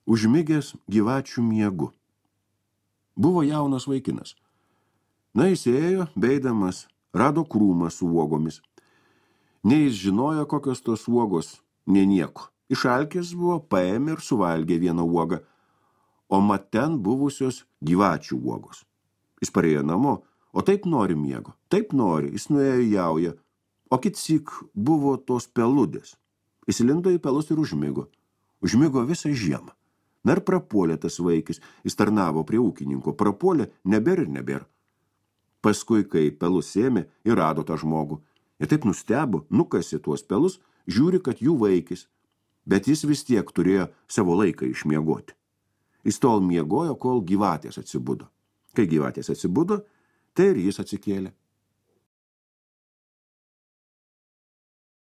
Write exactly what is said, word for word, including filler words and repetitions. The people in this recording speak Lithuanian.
užmigęs gyvačių miegu. Buvo jaunas vaikinas. Na, jis ėjo, beidamas, rado krūmą su uogomis. Ne jis žinojo, kokios tos uogos, ne nieko. Išalkęs buvo, paėmė ir suvalgė vieną uogą, o mat ten buvusios gyvačių uogos. Jis parėjo namo, o taip nori miego, taip nori, jis nuėjo į jaują, o kitsik buvo tos peludės. Jis lindo į pelus ir užmigo. Užmigo visą žiemą. Na ir prapuolė tas vaikis, jis tarnavo prie ūkininko, prapuolė nebėr ir nebėr. Paskui, kai pelus ėmė, ir rado tą žmogų. Ir taip nustebo, nukasė tuos pelus, žiūri, kad jų vaikis, bet jis vis tiek turėjo savo laiką išmiegoti. Jis tol miegojo, kol gyvatės atsibudo. Kai gyvatės atsibudo, tai ir jis atsikėlė.